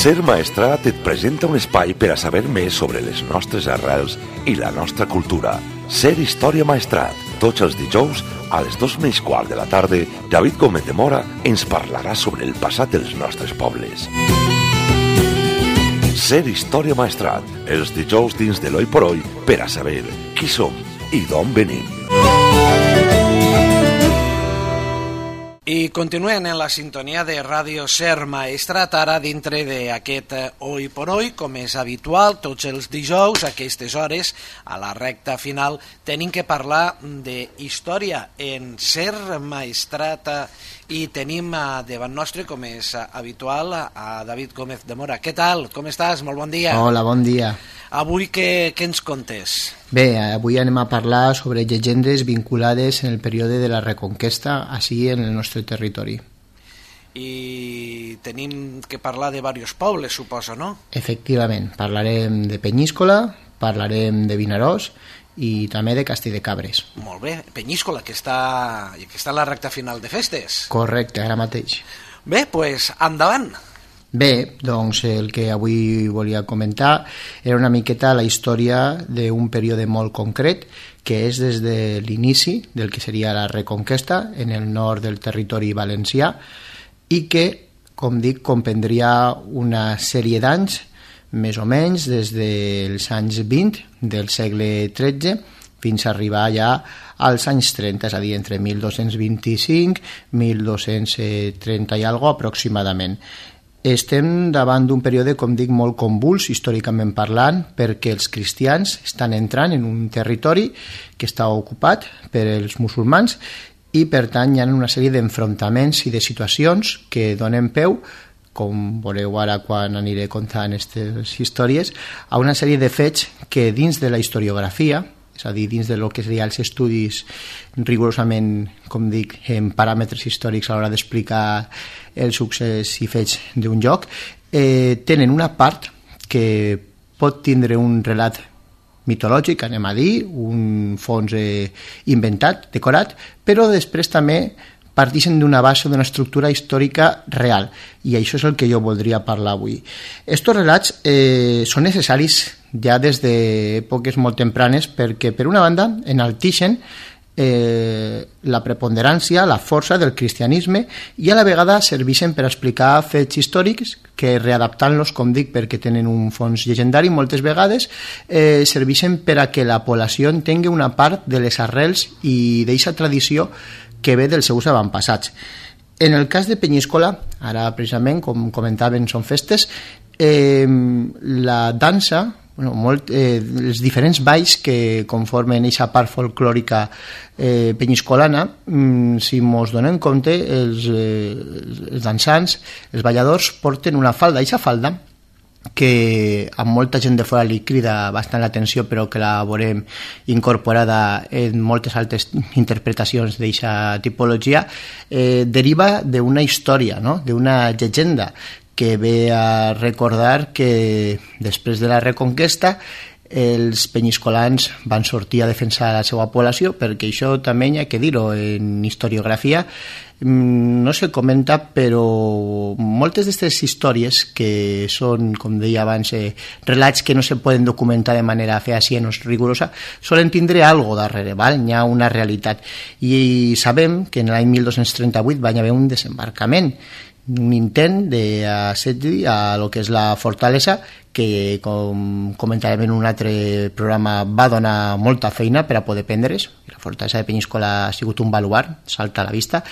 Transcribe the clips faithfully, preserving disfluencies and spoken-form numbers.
Ser Maestrat et presenta un espai per a saber més sobre les nostres arrels i la nostra cultura. Ser Història Maestrat. Tots els dijous, a les dos menys quart de la tarda, David Gómez de Mora ens parlarà sobre el passat dels nostres pobles. Ser Història Maestrat. Els dijous dins de l'Oi por Oi per a saber qui som i d'on venim. I continuen en la sintonia de Ràdio Ser Maestrat, ara dintre d'aquest Oi por Oi, com és habitual, tots els dijous, a aquestes hores, a la recta final, tenim que parlar de història en Ser Maestrat i tenim davant nostre, com és habitual, a David Gómez de Mora. Què tal? Com estàs? Molt bon dia. Hola, bon dia. Avui què, què ens contes? Bé, avui anem a parlar sobre llegendes vinculades en el període de la Reconquesta, així en el nostre territori. I tenim que parlar de diversos pobles, suposo, no? Efectivament, parlarem de Penyíscola, parlarem de Vinaròs i també de Castell-de-Cabres. Molt bé, Penyíscola, que està, que està en la recta final de festes. Correcte, ara mateix. Bé, doncs pues, endavant. Bé, doncs el que avui volia comentar era una miqueta la història d'un període molt concret, que és des de l'inici del que seria la Reconquesta en el nord del territori valencià i que, com dic, comprendria una sèrie d'anys, més o menys des dels anys vint del segle tretze fins a arribar ja als anys trenta, és a dir, entre mil dos-cents vint-i-cinc i mil dos-cents trenta i alguna cosa aproximadament. Estem davant d'un període, com dic, molt convuls, històricament parlant, perquè els cristians estan entrant en un territori que està ocupat per els musulmans i, per tant, hi ha una sèrie d'enfrontaments i de situacions que donen peu, com veureu ara quan aniré contant aquestes històries, a una sèrie de fets que dins de la historiografia, és a dir, dins de lo que serien els estudis rigorosament, com dic, en paràmetres històrics a l'hora d'explicar el succés i fets d'un lloc, eh, tenen una part que pot tindre un relat mitològic, anem a dir, un fons eh, inventat, decorat, però després també partixen d'una base, d'una estructura històrica real, i això és el que jo voldria parlar avui. Estos relats eh, són necessaris ja des d'èpoques molt tempranes perquè, per una banda, enalteixen eh, la preponderància, la força del cristianisme i a la vegada serveixen per explicar fets històrics que, readaptant-los, com dic, perquè tenen un fons llegendari moltes vegades, eh, serveixen per a que la població entengui una part de les arrels i d'aquesta tradició que ve dels seus avantpassats. En el cas de Penyíscola, ara precisament, com comentaven, són festes, eh, la dansa, bueno, molt, eh, els diferents balls que conformen aquesta part folclòrica eh, penyiscolana, mm, si mos donem compte, els, eh, els dansants, els balladors, porten una falda, i aquesta falda, que a molta gent de fora li crida bastant l'atenció, però que la veurem incorporada en moltes altres interpretacions d'aquesta tipologia, eh, deriva d'una història, no? D'una llegenda que ve a recordar que després de la Reconquesta els penyiscolans van sortir a defensar la seva població, perquè això també hi ha que dir-ho en historiografia, no se comenta, però moltes d'aquestes històries que són, com deia abans, eh, relats que no se poden documentar de manera fehacient o rigorosa, solen tindre algo darrere, val? Hi ha una realitat. I sabem que en l'any mil dos-cents trenta-vuit va haver un desembarcament, un intent d'assetgi a lo que és la fortalesa, que, com comentarem en un altre programa, va donar molta feina per a poder prendre's. La fortalesa de Penyíscola ha sigut un baluard, salta a la vista,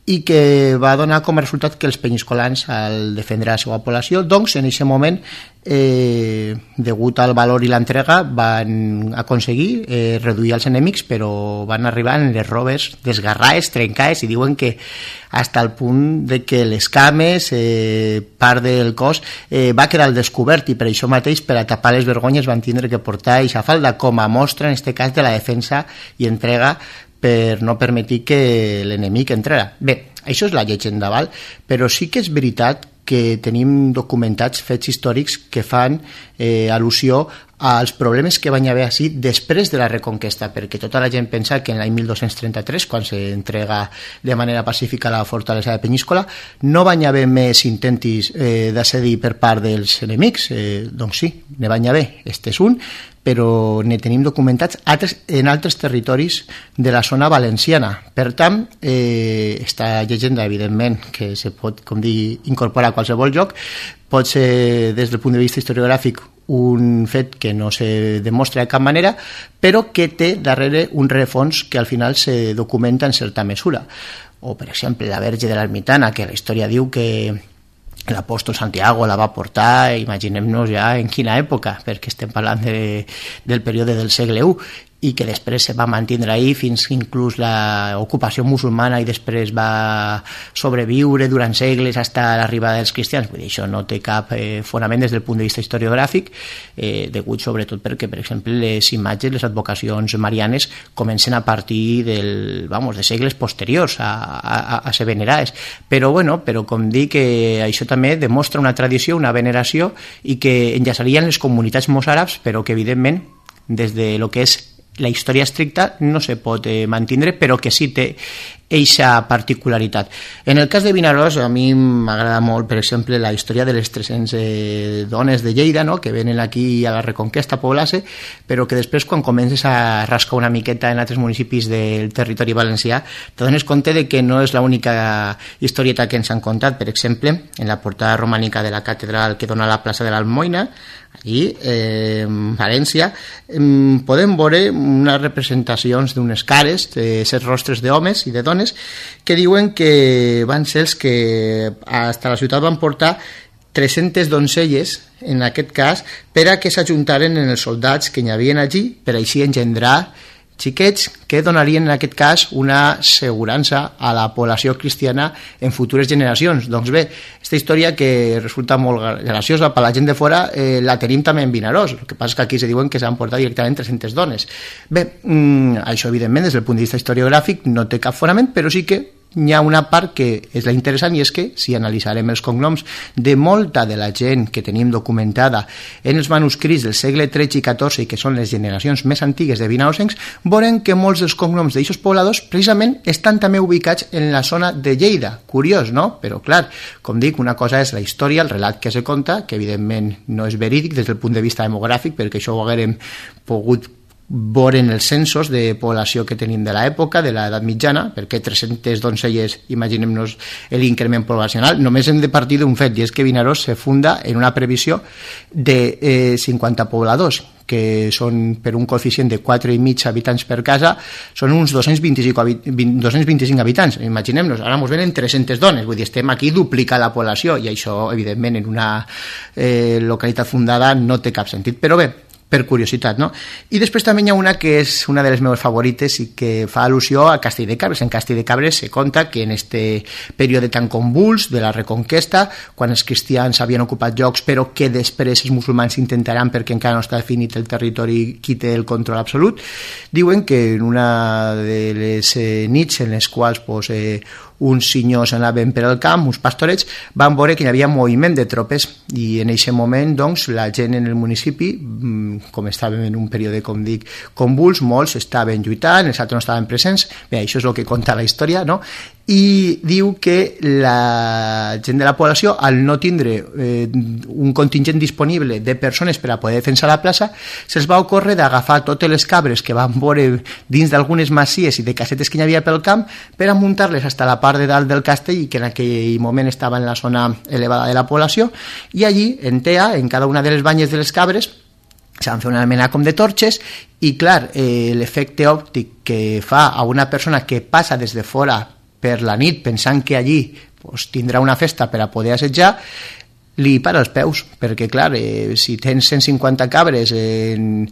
i que va donar com a resultat que els penyiscolans, al defendre la seva població, doncs en aquest moment, eh, degut al valor i l'entrega, van aconseguir eh, reduir els enemics, però van arribar en les robes desgarrades, trencades, i diuen que fins al punt de que les cames, eh, part del cos, eh, va quedar al descobert, i per això mateix, per a tapar les vergonyes, van tindre que portar aquesta falda com a mostra, en aquest cas, de la defensa i entrega per no permetir que l'enemic entrara. Bé, això és la llegenda, val? Però sí que és veritat que tenim documentats fets històrics que fan eh, al·lusió als problemes que van haver així després de la Reconquesta, perquè tota la gent pensa que en l'any mil dos-cents trenta-tres, quan s'entrega de manera pacífica la fortalesa de Penyíscola, no van haver més intentis eh, d'assedir per part dels enemics. Eh, doncs sí, ne van haver, este és un, però ne tenim documentats altres, en altres territoris de la zona valenciana. Per tant, eh, esta llegenda, evidentment, que se pot, com dir, incorporar a qualsevol lloc, pot ser, des del punt de vista historiogràfic, un fet que no se demostra de cap manera, però que té darrere un rerefons que al final se documenta en certa mesura. O, per exemple, la Verge de l'Ermitana, que la història diu que l'apòstol Santiago la va portar, imaginem-nos ja en quina època, perquè estem parlant de, del període del segle u, i que després se va mantindre ahí fins inclús l'ocupació musulmana i després va sobreviure durant segles fins a l'arribada dels cristians. Vull dir, això no té cap eh, fonament des del punt de vista historiogràfic, eh, degut sobretot perquè, per exemple, les imatges, les advocacions marianes comencen a partir del, vamos, de segles posteriors a, a, a ser venerades. Però, bueno, però com dic, que això també demostra una tradició, una veneració, i que enllaçarien les comunitats mossàrabs, però que, evidentment, des de lo que és la història estricta no se pot eh, mantindre, però que sí té eixa particularitat. En el cas de Vinaròs, a mi m'agrada molt, per exemple, la història de les tres-centes eh, dones de Lleida, no?, que venen aquí a la Reconquesta a poblar-se, però que després, quan comences a rascar una miqueta en altres municipis del territori valencià, te dones compte de que no és l'única historieta que ens han contat. Per exemple, en la portada romànica de la catedral que dona a la plaça de l'Almoina, allí, eh, en València, eh, podem veure unes representacions d'unes cares, de set rostres d'homes i de dones, que diuen que van ser els que fins a la ciutat van portar tres-centes doncelles, en aquest cas, per a que s'ajuntaren en els soldats que hi havia allí, per així engendrar xiquets que donarien en aquest cas una assegurança a la població cristiana en futures generacions. Doncs bé, aquesta història que resulta molt graciosa per la gent de fora, eh, la tenim també en Vinaròs. El que passa és que aquí se diuen que s'han portat directament tres-centes dones. Bé, mmm, això evidentment des del punt de vista historiogràfic no té cap fonament, però sí que hi ha una part que és la interessant, i és que si analitzarem els cognoms de molta de la gent que tenim documentada en els manuscrits del segle tretze i catorze, i que són les generacions més antigues de vinaròsencs, veurem que molts dels cognoms d'aixos pobladors precisament estan també ubicats en la zona de Lleida. Curiós, no? Però clar, com dic, una cosa és la història, el relat que se conta, que evidentment no és verídic des del punt de vista demogràfic, perquè això ho haguérem pogut veure els censos de població que tenim de l'època, de l'edat mitjana, perquè tres-centes doncelles, imaginem-nos l'increment poblacional. Només hem de partir d'un fet, i és que Vinaròs se funda en una previsió de eh, cinquanta pobladors, que són per un coeficient de quatre i mig habitants per casa, són uns dos-cents vint-i-cinc habitants. Imaginem-nos, ara ens venen tres-centes dones, vull dir, estem aquí duplicant la població, i això, evidentment, en una eh, localitat fundada no té cap sentit. Però bé, per curiositat, no? I després també hi ha una que és una de les meves favorites i que fa al·lusió a Castell de Cabres. En Castell de Cabres se conta que en este període tan convuls de la Reconquesta, quan els cristians havien ocupat llocs però que després els musulmans intentaran, perquè encara no està definit el territori, qui té el control absolut, diuen que en una de les eh, nits en les quals pues, eh, uns senyors anaven per al camp, uns pastorets, van veure que hi havia moviment de tropes, i en aquest moment doncs, la gent en el municipi, com estàvem en un període, com dic, convuls, molts estaven lluitant, els altres no estaven presents. Bé, això és el que conta la història, no? I diu que la gent de la població, al no tindre eh, un contingent disponible de persones per a poder defensar la plaça, se'ls va ocórrer d'agafar totes les cabres que van veure dins d'algunes masies i de casetes que hi havia pel camp per a muntar-les fins a la part de dalt del castell, i que en aquell moment estava en la zona elevada de la població, i allí, en Tea, en cada una de les banyes de les cabres, se van fer una mena com de torxes, i clar, eh, l'efecte òptic que fa a una persona que passa des de fora per la nit pensant que allí pues, tindrà una festa per a poder assetjar, li para els peus, perquè clar, eh, si tens cent cinquanta cabres en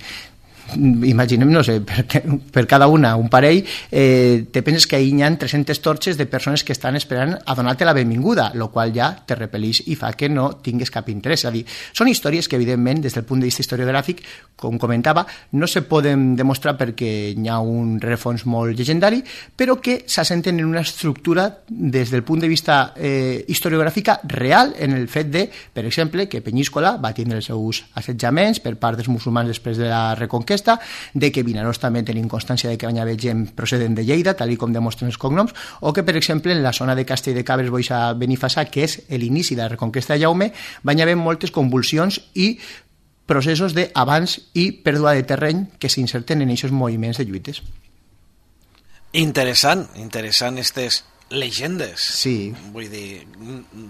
imaginem, no sé, per, per cada una un parell, eh, te penses que ahir hi ha tres-centes torxes de persones que estan esperant a donar-te la benvinguda, el qual ja te repel·lix i fa que no tingues cap interès. És a dir, són històries que, evidentment, des del punt de vista historiogràfic, com comentava, no se poden demostrar perquè hi ha un rerefons molt llegendari, però que s'assenten en una estructura des del punt de vista eh, historiogràfica real, en el fet de, per exemple, que Penyíscola va tindre els seus assetjaments per part dels musulmans després de la Reconquesta, de que Vinaròs també tenim constància de que hi havia gent procedent de Lleida, tal com demostren els cognoms, o que, per exemple, en la zona de Castell de Cabres, Boix a Benifassà, que és l'inici de la Reconquesta de Jaume, van haver moltes convulsions i processos d'abans i pèrdua de terreny que s'inserten en aquests moviments de lluites. Interessant, interessant aquestes llegendes. Sí. Vull dir,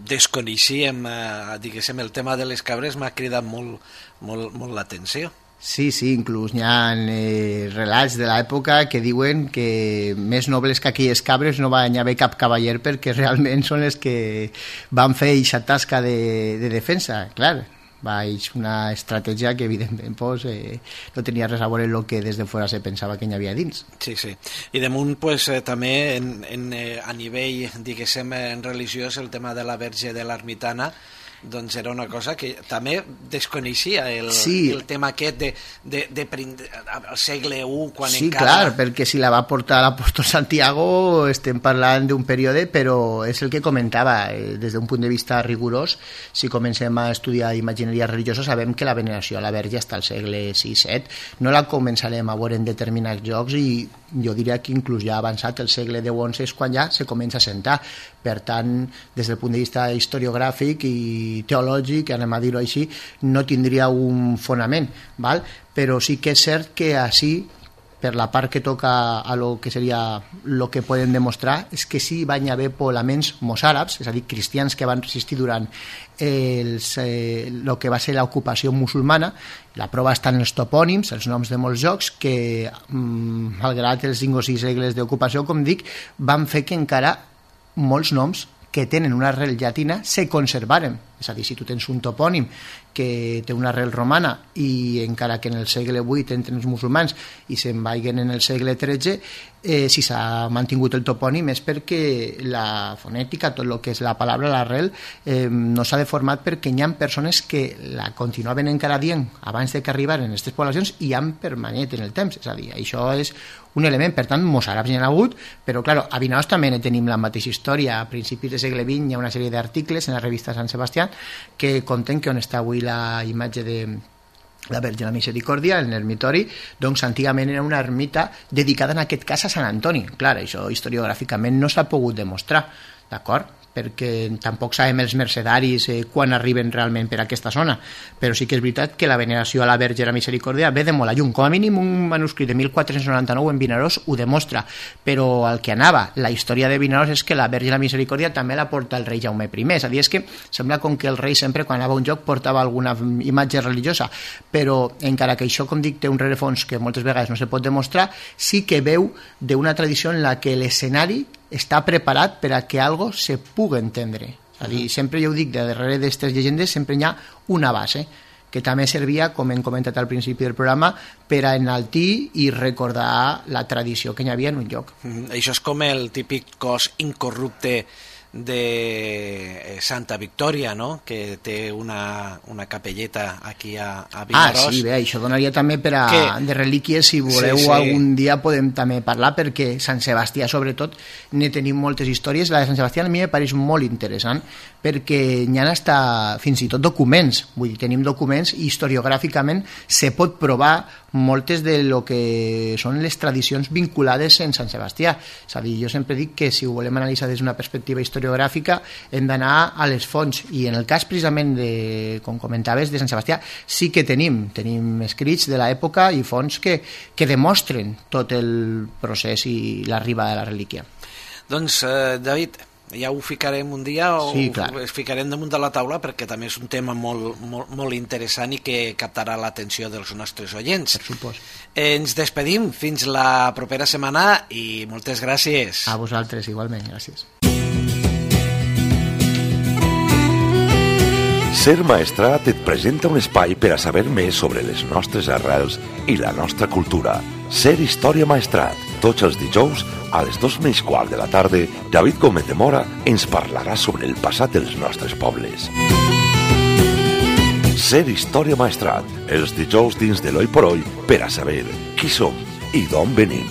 desconeixíem, eh, diguéssim, el tema de les cabres m'ha cridat molt, molt, molt l'atenció. Sí, sí, inclús hi ha eh, relats de l'època que diuen que més nobles que aquelles cabres no va haver cap cavaller perquè realment són les que van fer aquesta tasca de, de defensa, clar. Va, és una estratègia que evidentment pues, eh, no tenia res a veure amb el que des de fora se pensava que hi havia dins. Sí, sí. I damunt pues, eh, també en, en, eh, a nivell, diguéssim, en religiós, el tema de la Verge de l'Ermitana, doncs era una cosa que també desconeixia el, sí. el tema aquest de, de, de, de al segle u quan sí, encara... clar, perquè si la va portar l'apòstol Santiago estem parlant d'un període, però és el que comentava, eh, des d'un punt de vista rigorós, si comencem a estudiar imagineria religiosa sabem que la veneració a la Verge està al segle sis set, no la començarem a veure en determinats llocs i jo diria que inclús ja avançat el segle deu onze és quan ja se comença a sentar. Per tant, des del punt de vista historiogràfic i teològic, anem a dir-ho així, no tindria un fonament, val? Però sí que és cert que així, per la part que toca a lo que seria el que poden demostrar, és que sí van haver poblaments mossàrabs, és a dir, cristians que van resistir durant els, eh, el que va ser l'ocupació musulmana. La prova està en els topònims, els noms de molts jocs, que mm, malgrat els cinc o sis segles d'ocupació, com dic, van fer que encara molts noms que tenen una arrel llatina se conservaren. És a dir, si tu tens un topònim que té una arrel romana i encara que en el segle vuit entren els musulmans i se'n vagin en el segle tretze, eh, si s'ha mantingut el topònim és perquè la fonètica, tot el que és la paraula, l'arrel, eh, no s'ha deformat perquè hi ha persones que la continuaven encara dient abans de que arribaren aquestes poblacions i han permanent en el temps. És a dir, això és un element, per tant, mossàrabs hi ha hagut, però, clar, a Vinaròs també tenim la mateixa història. A principis del segle vint hi ha una sèrie d'articles en la revista Sant Sebastià que conten que on està avui la imatge de la Verge de la Misericòrdia, en l'ermitori, doncs antigament era una ermita dedicada en aquest cas a Sant Antoni. Clar, això historiogràficament no s'ha pogut demostrar, d'acord? Perquè tampoc sabem els mercedaris eh, quan arriben realment per aquesta zona, però sí que és veritat que la veneració a la Verge de la Misericòrdia ve de molt a lluny. Com a mínim un manuscrit de mil quatre-cents noranta-nou en Vinaròs ho demostra, però el que anava, la història de Vinaròs és que la Verge de la Misericòrdia també la porta el rei Jaume I. És a dir, és que sembla com que el rei sempre quan anava a un lloc portava alguna imatge religiosa, però encara que això, com dic, té un rerefons que moltes vegades no se pot demostrar, sí que veu d'una tradició en la que l'escenari està preparat per a que algo se pugui entendre. És a dir, sempre jo ho dic, de darrere d'aquestes llegendes sempre hi ha una base que també servia, com hem comentat al principi del programa, per a enaltir i recordar la tradició que hi havia en un lloc. Mm, això és com el típic cos incorrupte de Santa Victòria, no? Que té una, una capelleta aquí a, a Vinaròs. Ah, sí, bé, això donaria també per a, que... de relíquies, si voleu sí, sí. algun dia podem també parlar, perquè Sant Sebastià sobretot ne tenim moltes històries. La de Sant Sebastià a mi me pareix molt interessant perquè hi ha hasta, fins i tot documents, vull dir, tenim documents i historiogràficament se pot provar moltes de lo que són les tradicions vinculades en Sant Sebastià. És a dir, jo sempre dic que si ho volem analitzar des d'una perspectiva historiogràfica hem d'anar a les fonts, i en el cas precisament de, com comentaves, de Sant Sebastià sí que tenim, tenim escrits de l'època i fonts que, que demostren tot el procés i l'arribada de la relíquia. Doncs, eh, David, ja ho ficarem un dia o sí, ho ficarem damunt de la taula perquè també és un tema molt, molt, molt interessant i que captarà l'atenció dels nostres oients. Per supost. Eh, ens despedim fins la propera setmana i moltes gràcies. A vosaltres igualment, gràcies. Ser Maestrat et presenta un espai per a saber més sobre les nostres arrels i la nostra cultura. Ser Història Maestrat. Tots els dijous, a les dos menys quart de la tarda, David Gómez de Mora ens parlarà sobre el passat dels nostres pobles. Ser Història Maestrat. Els dijous dins de l'Oi por Oi per a saber qui som i d'on venim.